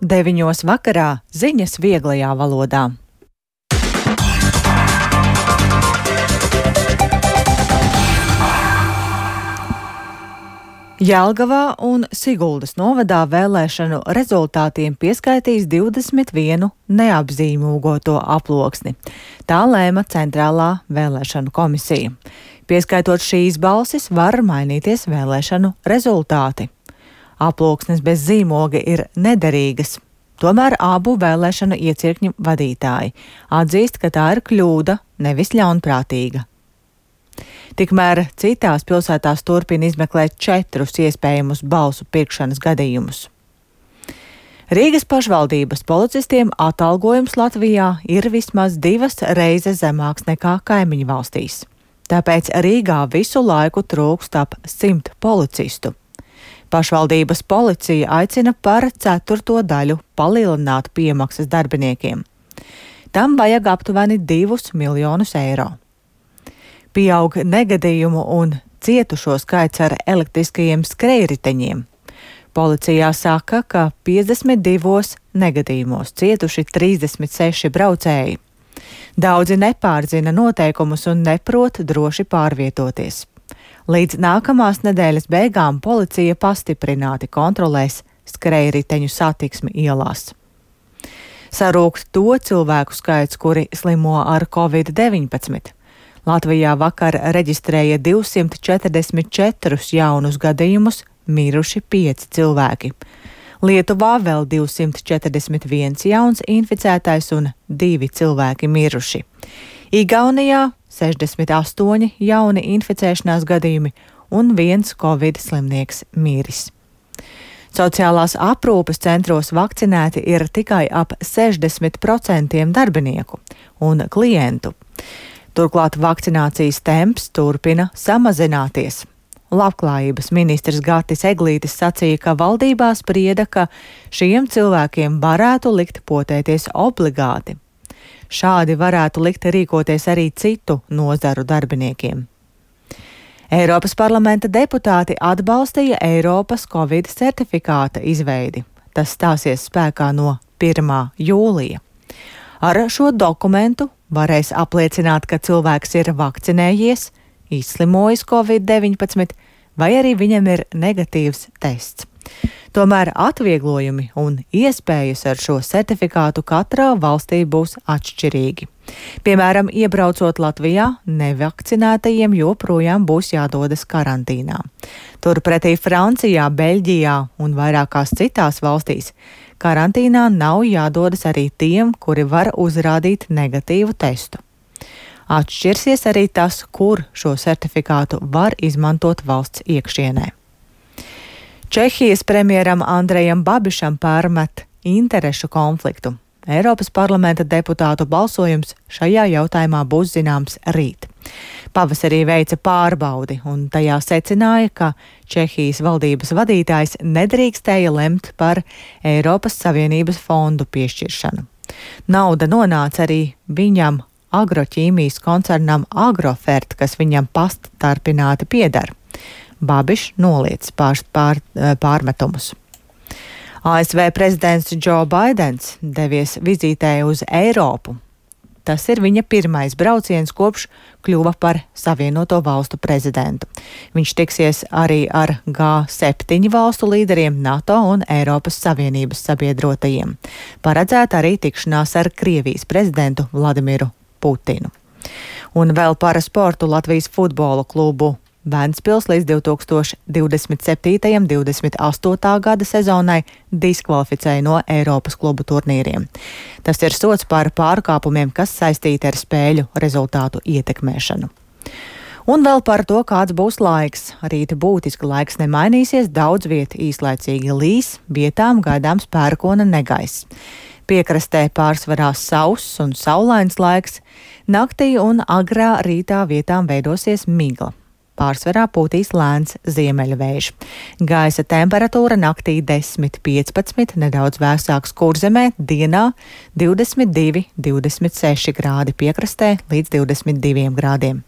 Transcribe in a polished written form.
9 vakarā ziņas vieglajā valodā. Jelgavā un Siguldas novadā vēlēšanu rezultātiem pieskaitīs 21 neapzīmūgoto aploksni. Tā lēma Centrālā vēlēšanu komisija. Pieskaitot šīs balsis, var mainīties vēlēšanu rezultāti. Aploksnes bez zīmoga ir nederīgas. Tomēr abu vēlēšanu iecirkņu vadītāji atzīst, ka tā ir kļūda, nevis ļaunprātīga. Tikmēr citās pilsētās turpina izmeklēt 4 iespējamus balsu pirkšanas gadījumus. Rīgas pašvaldības policistiem atalgojums Latvijā ir vismaz 2 reizes zemāks nekā kaimiņu valstīs. Tāpēc Rīgā visu laiku trūkst ap 100 policistu. Pašvaldības policija aicina par 1/4 daļu palielināt piemaksas darbiniekiem. Tam vajag aptuveni 2 miljonus eiro. Pieaug negadījumu un cietušo skaits ar elektriskajiem skrejriteņiem. Policijā saka, ka 52 negadījumos cietuši 36 braucēji. Daudzi nepārzina noteikumus un neprot droši pārvietoties. Līdz nākamās nedēļas beigām policija pastiprināti kontrolēs skrejriteņu satiksmi ielās. Sarūk to cilvēku skaits, kuri slimo ar Covid-19. Latvijā vakar reģistrēja 244 jaunus gadījumus, miruši 5 cilvēki. Lietuvā vēl 241 jauns inficētais un 2 cilvēki miruši. Igaunijā 68 jauni inficēšanās gadījumi un 1 Covid slimnieks miris. Sociālās aprūpes centros vakcinēti ir tikai ap 60% darbinieku un klientu. Turklāt vakcinācijas temps turpina samazināties. Labklājības ministrs Gatis Eglītis sacīja, ka valdībā sprieda, ka šiem cilvēkiem varētu likt potēties obligāti. Šādi varētu likt rīkoties arī citu nozaru darbiniekiem. Eiropas parlamenta deputāti atbalstīja Eiropas Covid certifikāta izveidi. Tas stāsies spēkā no 1. jūlija. Ar šo dokumentu varēs apliecināt, ka cilvēks ir vakcinējies, izslimojis Covid-19 vai arī viņam ir negatīvs tests. Tomēr atvieglojumi un iespējas ar šo certifikātu katrā valstī būs atšķirīgi. Piemēram, iebraucot Latvijā, nevakcinētajiem joprojām būs jādodas karantīnā. Turpretī Francijā, Beļģijā un vairākās citās valstīs karantīnā nav jādodas arī tiem, kuri var uzrādīt negatīvu testu. Atšķirsies arī tas, kur šo certifikātu var izmantot valsts iekšienē. Čehijas premjeram Andrejam Babišam pārmet interešu konfliktu. Eiropas parlamenta deputātu balsojums šajā jautājumā būs zināms rīt. Pavasarī veica pārbaudi un tajā secināja, ka Čehijas valdības vadītājs nedrīkstēja lemt par Eiropas Savienības fondu piešķiršanu. Nauda nonāca arī viņam agroķīmijas koncernam Agrofert, kas viņam pastarpināti pieder. Babišs noliedz pārmetumus. ASV prezidents Džo Baidens devies vizītē uz Eiropu. Tas ir viņa pirmais brauciens kopš kļuva par Savienoto valstu prezidentu. Viņš tiksies arī ar G7 valstu līderiem, NATO un Eiropas Savienības sabiedrotajiem. Paredzēta arī tikšanās ar Krievijas prezidentu Vladimiru Putinu. Un vēl par sportu Latvijas futbola klubu Ventspils līdz 2027.–28. gada sezonai diskvalificēja no Eiropas klubu turnīriem. Tas ir sods par pārkāpumiem, kas saistīti ar spēļu rezultātu ietekmēšanu. Un vēl par to, kāds būs laiks. Rīta būtiski laiks nemainīsies, daudz viet īslaicīgi līs, vietām gaidāms pērkona negaiss. Piekrastē pārsvarā sauss un saulains laiks, naktī un agrā rītā vietām veidosies migla. Pārsvarā pūtīs lēns ziemeļvējš. Gaisa temperatūra naktī 10–15, nedaudz vēsāks Kurzemē, dienā 22–26 grādi, piekrastē līdz 22 grādiem.